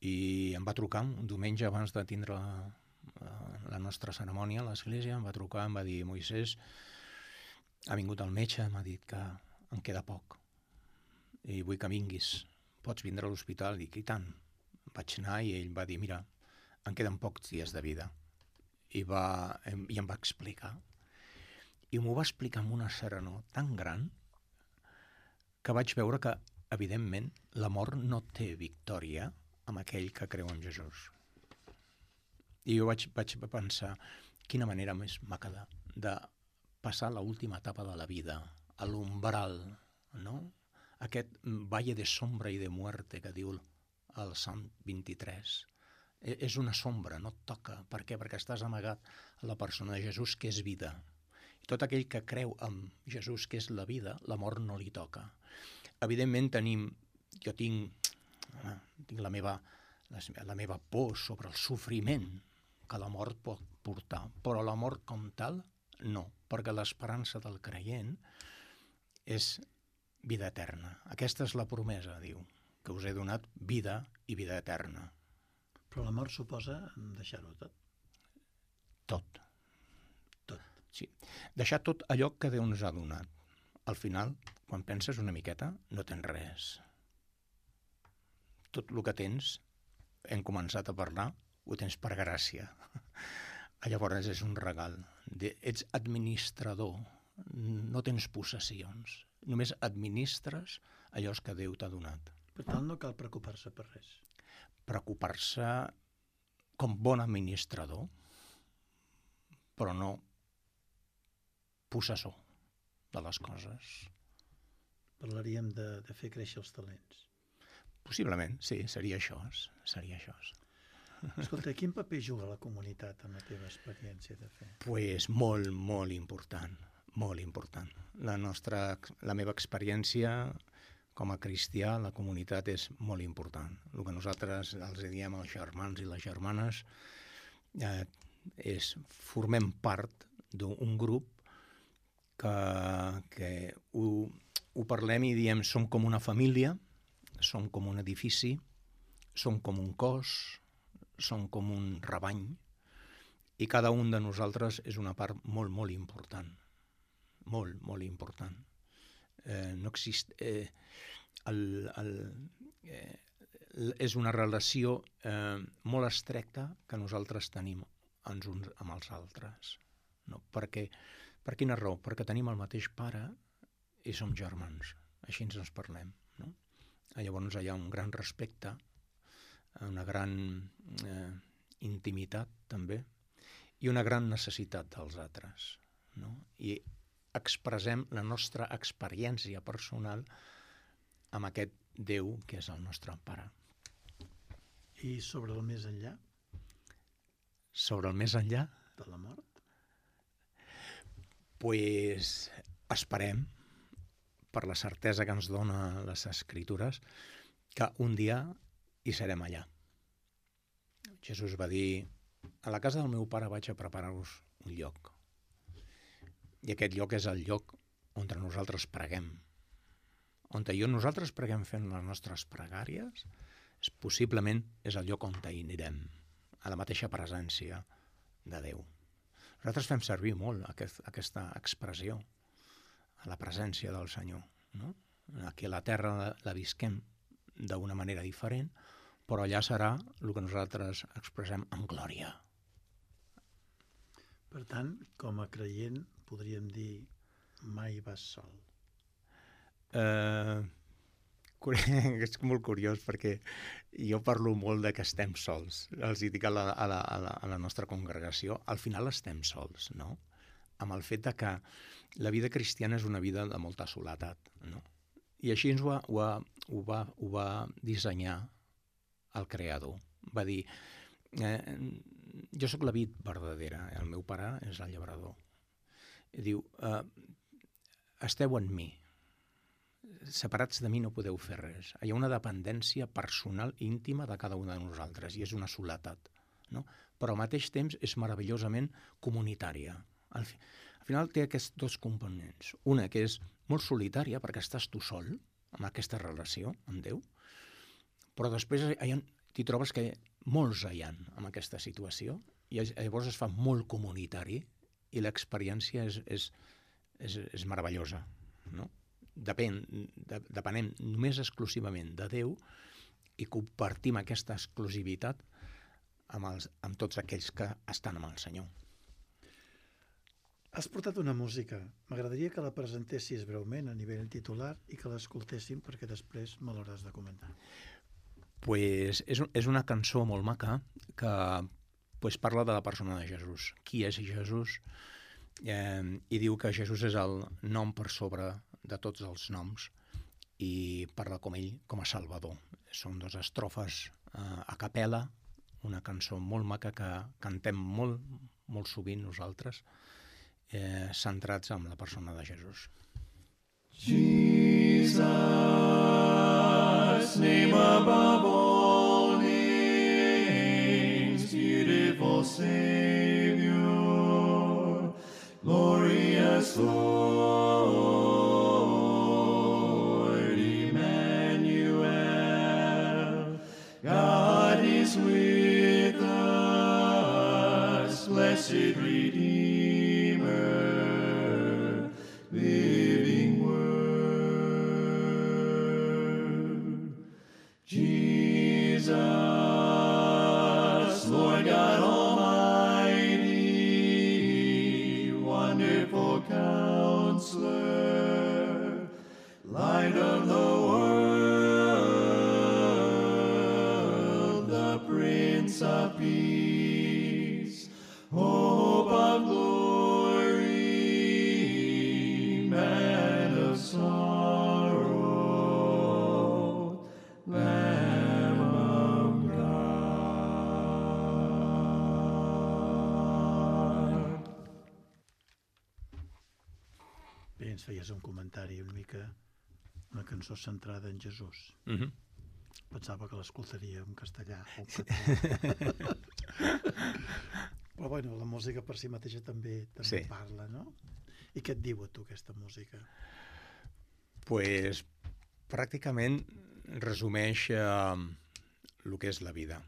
i em va trucar un diumenge abans de tindre la, la nostra cerimònia a l'església, em va trucar, em va dir, Moisès, ha vingut el metge, m'ha dit que em queda poc i vull que vinguis, pots vindre a l'hospital? Dic, i tant. Vaig anar i ell va dir, mira, em queden pocs dies de vida. I, va, i em va explicar. I m'ho va explicar amb una serenor tan gran que vaig veure que, evidentment, la mort no té victòria amb aquell que creu en Jesús. I jo vaig, vaig pensar, quina manera més maca de, de passar l'última etapa de la vida, a l'umbral, no? Aquest valle de sombra i de muerte que diu el Salm vint-i-tres. És una sombra, no et toca. Per què? Perquè estàs amagat a la persona de Jesús, que és vida. I tot aquell que creu en Jesús, que és la vida, la mort no li toca. Evidentment tenim, jo tinc, tinc la meva, la meva por sobre el sofriment que la mort pot portar, però la mort com tal, no, perquè l'esperança del creient és vida eterna. Aquesta és la promesa, diu, que us he donat vida i vida eterna. Però la mort suposa deixar-ho tot. Tot. Tot. Sí. Deixar tot allò que Déu ens ha donat. Al final, quan penses una miqueta, no tens res. Tot el que tens, hem començat a parlar, ho tens per gràcia. Llavors és un regal. Ets administrador, no tens possessions. Només administres allò que Déu t'ha donat. Per tant, no cal preocupar-se per res. Preocupar-se com bon administrador, però no possessor de les coses. Parlaríem de, de fer créixer els talents. Possiblement, sí, seria això. Seria això. Escolta, quin paper juga la comunitat en la teva experiència de fe? Pues molt, molt important, molt important. La nostra, la meva experiència com a cristià, la comunitat és molt important. El que nosaltres els diem als germans i les germanes eh, és formem part d'un grup que, que ho, ho parlem i diem som com una família, som com un edifici, som com un cos, som com un rebany, i cada un de nosaltres és una part molt, molt important. Molt, molt important. Eh, no exist... Eh, el, el, eh, és una relació eh, molt estricta que nosaltres tenim ens uns amb els altres. No? Perquè, per quina raó? Perquè tenim el mateix pare i som germans. Així ens parlem. No? Llavors hi ha un gran respecte, una gran eh, intimitat també, i una gran necessitat dels altres. No? I expressem la nostra experiència personal amb aquest Déu que és el nostre pare. I sobre el més enllà? Sobre el més enllà? De la mort? Pues esperem, per la certesa que ens dona les Escritures, que un dia hi serem allà. Jesús va dir: a la casa del meu pare vaig a preparar-vos un lloc. I aquest lloc és el lloc on nosaltres preguem. On jo nosaltres preguem fent les nostres pregàries, és, possiblement és el lloc on hi anirem, a la mateixa presència de Déu. Nosaltres fem servir molt aquest, aquesta expressió, a la presència del Senyor. No? Aquí a la terra la, la visquem d'una manera diferent, però allà serà el que nosaltres expressem amb glòria. Per tant, com a creient, podríem dir mai vas sol. Uh, és molt curiós perquè jo parlo molt de que estem sols. Els dic a la, a la, a la, a la nostra congregació, al final estem sols, no? Amb el fet de que la vida cristiana és una vida de molta soledat, no? I així ens ho, ho, ho, va, ho va dissenyar el Creador. Va dir, eh, jo sóc la vid verdadera, el meu pare és el llaurador. I diu, eh, esteu en mi, separats de mi no podeu fer res. Hi ha una dependència personal íntima de cada un de nosaltres i és una soledat, no? Però al mateix temps és meravellosament comunitària. Al, fi, al final té aquests dos components. Una que és molt solitària perquè estàs tu sol amb aquesta relació amb Déu, però després t'hi trobes que molts hi ha en aquesta situació i llavors es fa molt comunitari i l'experiència és, és, és, és meravellosa, no? Depèn, de, depenem només exclusivament de Déu i compartim aquesta exclusivitat amb, els, amb tots aquells que estan amb el Senyor. Has portat una música. M'agradaria que la presentessis breument a nivell titular i que l'escoltéssim perquè després me l'hauràs de comentar. Pues és, és una cançó molt maca que pues, parla de la persona de Jesús. Qui és Jesús? Eh, I diu que Jesús és el nom per sobre de tots els noms i parla com ell com a Salvador. Són dues estrofes eh, a capella, una cançó molt maca que cantem molt, molt sovint nosaltres, eh, centrats en la persona de Jesús. Jesus, name above all names, beautiful Savior, glorious Lord. is with us, blessed Redeemer, living Word. Jesus, Lord God Almighty, wonderful Counselor, Light of the world, the Prince of Peace, hope of glory, man of sorrow, Lamb of God. Bé, ens feies un comentari una mica, una cançó centrada en Jesús. Mm-hmm. Pensava que l'escoltaria en castellà o en català. Però bueno, la música per si mateixa també també Sí. parla, no? I què et diu a tu aquesta música? Pues, pràcticament resumeix eh, el que és la vida.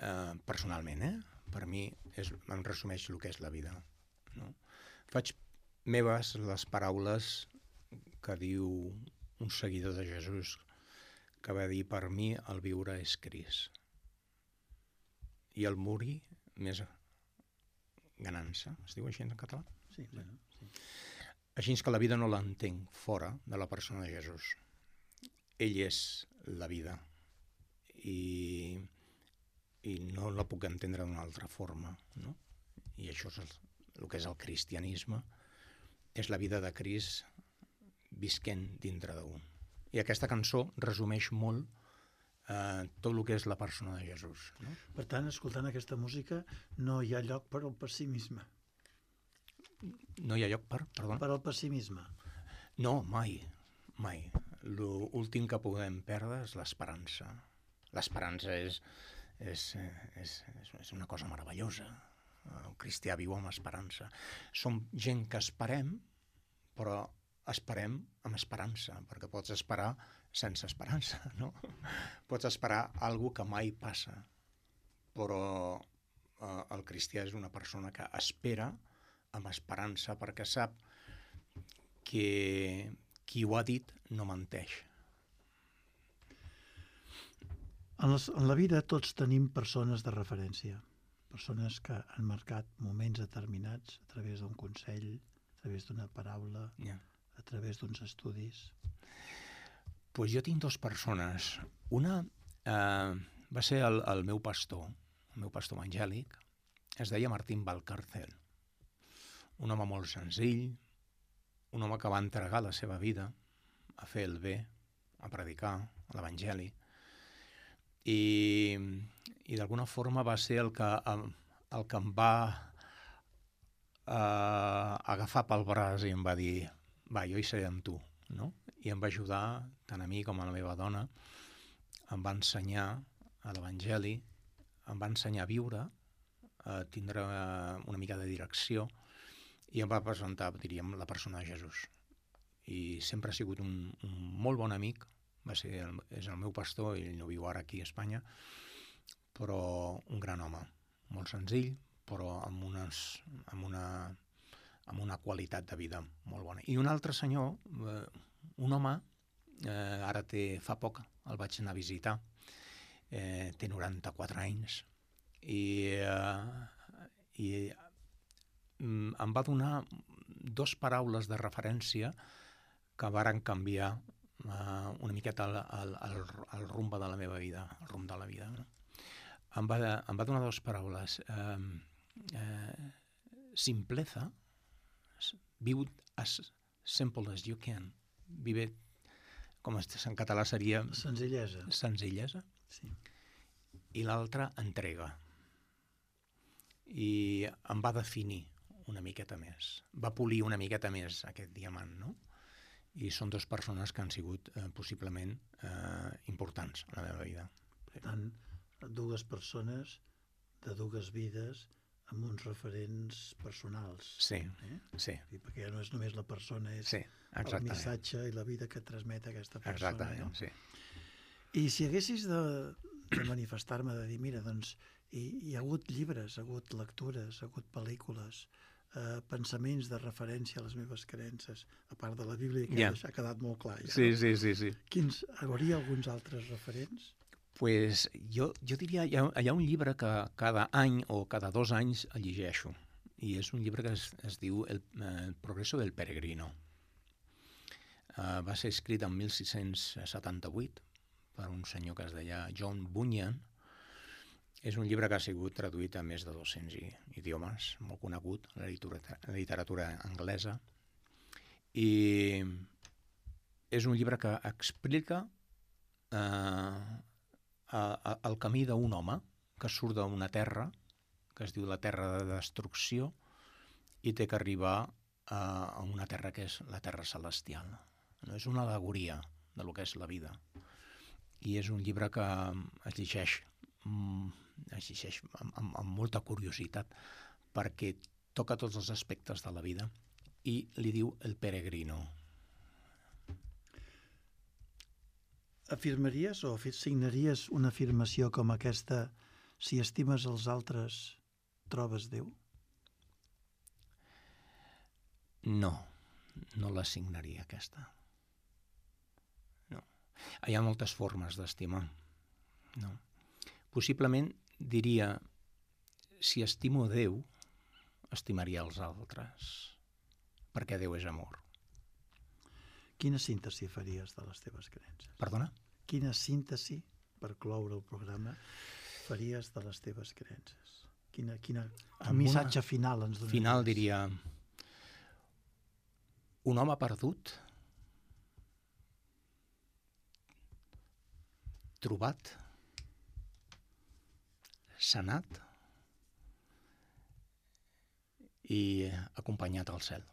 Eh, personalment, eh? Per mi és, em resumeix el que és la vida. No? Faig meves les paraules que diu un seguidor de Jesús, que va dir: per mi el viure és Crist i el morir més ganança. Es diu així en català? Sí, bueno, sí. Així que la vida no l'entenc fora de la persona de Jesús. Ell és la vida i, i no la puc entendre d'una altra forma, no? I això és el, el que és el cristianisme, és la vida de Crist visquent dintre d'un. I aquesta cançó resumeix molt eh, tot el que és la persona de Jesús. No? Per tant, escoltant aquesta música no hi ha lloc per al pessimisme. No hi ha lloc per... Perdona? Per al pessimisme. No, mai, mai. L'últim que podem perdre és l'esperança. L'esperança és, és, és, és una cosa meravellosa. El cristià viu amb esperança. Som gent que esperem, però esperem amb esperança, perquè pots esperar sense esperança, no? Pots esperar alguna que mai passa, però eh, el cristià és una persona que espera amb esperança, perquè sap que qui ho ha dit no menteix. En, les, en la vida tots tenim persones de referència, persones que han marcat moments determinats a través d'un consell, a través d'una paraula, Yeah. a través d'uns estudis. Pues jo tinc dues persones. Una eh, va ser el, el meu pastor, el meu pastor evangèlic, es deia Martín Valcárcel. Un home molt senzill, un home que va entregar la seva vida a fer el bé, a predicar l'evangeli, i, i d'alguna forma va ser el que, el que em va eh, agafar pel braç i em va dir: va, jo hi seré amb tu, no? I em va ajudar, tant a mi com a la meva dona, em va ensenyar a l'Evangeli, em va ensenyar a viure, a tindre una mica de direcció, i em va presentar, diríem, la persona de Jesús. I sempre ha sigut un, un molt bon amic, va ser el, és el meu pastor, ell no viu ara aquí a Espanya, però un gran home, molt senzill, però amb, unes, amb, una, amb una qualitat de vida molt bona. I un altre senyor, eh, un home, eh, ara té, fa poc, el vaig anar a visitar, eh, té noranta-quatre anys, i, eh, i em va donar dos paraules de referència que varen canviar uh, una miqueta el, el, el, el rumb de la meva vida, el rumb de la vida. No? Em, va, em va donar dues paraules. Uh, uh, simpleza, viu as simple as you can. Vive, com en català seria... Senzillesa. Senzillesa. Sí. I l'altra, entrega. I em va definir una miqueta més. Va polir una miqueta més aquest diamant, no? I són dues persones que han sigut eh, possiblement eh, importants a la meva vida. Per tant, dues persones de dues vides amb uns referents personals. Sí, eh? sí. I perquè ja no és només la persona, és sí, el missatge i la vida que transmet aquesta persona. Exactament, no? sí. I si haguessis de, de manifestar-me, de dir, mira, doncs, hi, hi ha hagut llibres, ha hagut lectures, ha hagut pel·lícules, eh, pensaments de referència a les meves creences, a part de la Bíblia, que Ja. ja ha quedat molt clar. Ja, Sí, no? sí, sí, sí. Quins, hi hauria alguns altres referents? Pues jo, jo diria, hi ha, hi ha un llibre que cada any o cada dos anys el llegeixo, i és un llibre que es, es diu El, el progreso del peregrino. Uh, va ser escrit en mil sis-cents setanta-vuit per un senyor que es deia John Bunyan. És un llibre que ha sigut traduït a més de dos-cents idiomes, molt conegut a la literatura, a la literatura anglesa, i és un llibre que explica eh, a, a, el camí d'un home que surt d'una terra, que es diu la terra de destrucció, i té que arribar a, a una terra que és la terra celestial. No? És una al·legoria de lo que és la vida. I és un llibre que es llegeix, mm, es llegeix amb, amb, amb molta curiositat, perquè toca tots els aspectes de la vida i li diu el peregrino. Afirmaries o signaries una afirmació com aquesta: si estimes els altres, trobes Déu? No, no la signaria aquesta. No. Hi ha moltes formes d'estimar. No. Possiblement diria, si estimo Déu, estimaria els altres, perquè Déu és amor. Quina síntesi faries de les teves creences? Perdona? Quina síntesi, per cloure el programa, faries de les teves creences? Quina, quina, Amb un missatge una final ens donaries? Final diria, un home perdut, trobat, sanat i acompanyat al cel.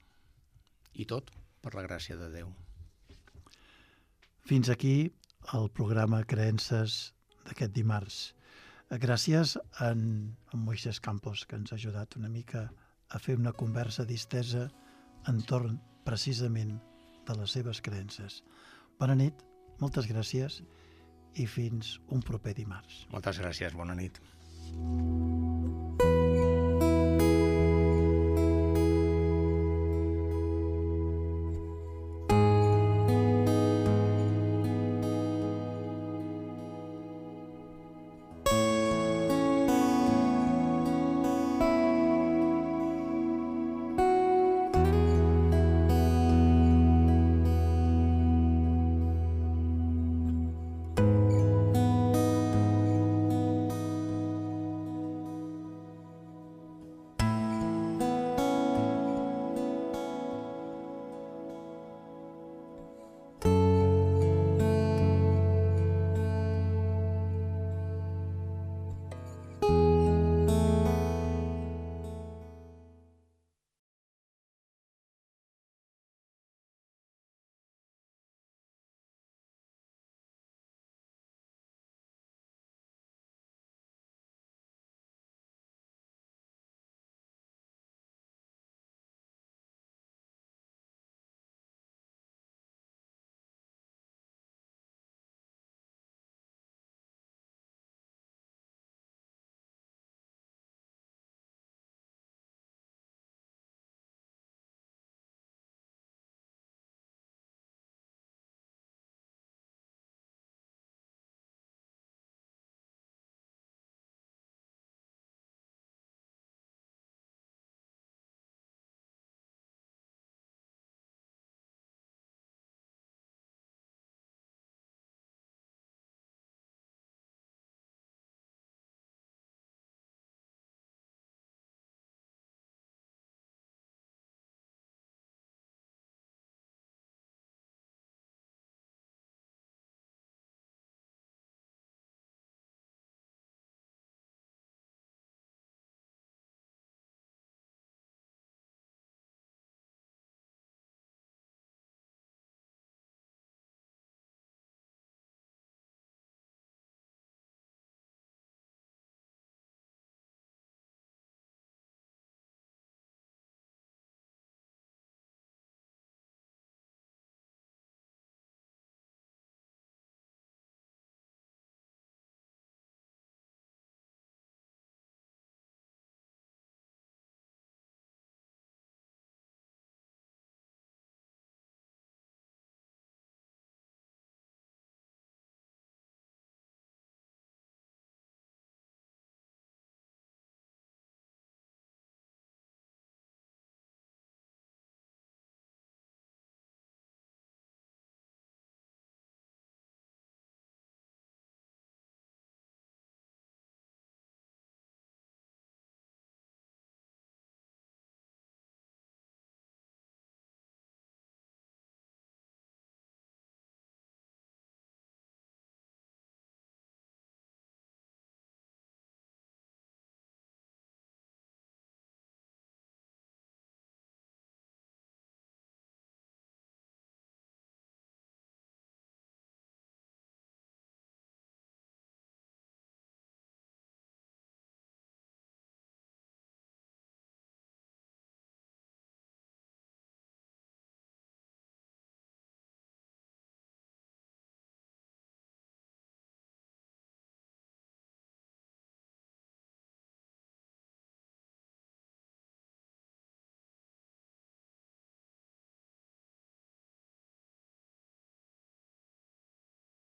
I tot per la gràcia de Déu. Fins aquí el programa Creences d'aquest dimarts. Gràcies a en, en Moisés Campos, que ens ha ajudat una mica a fer una conversa distesa entorn precisament de les seves creences. Bona nit, moltes gràcies i fins un proper dimarts. Moltes gràcies, bona nit.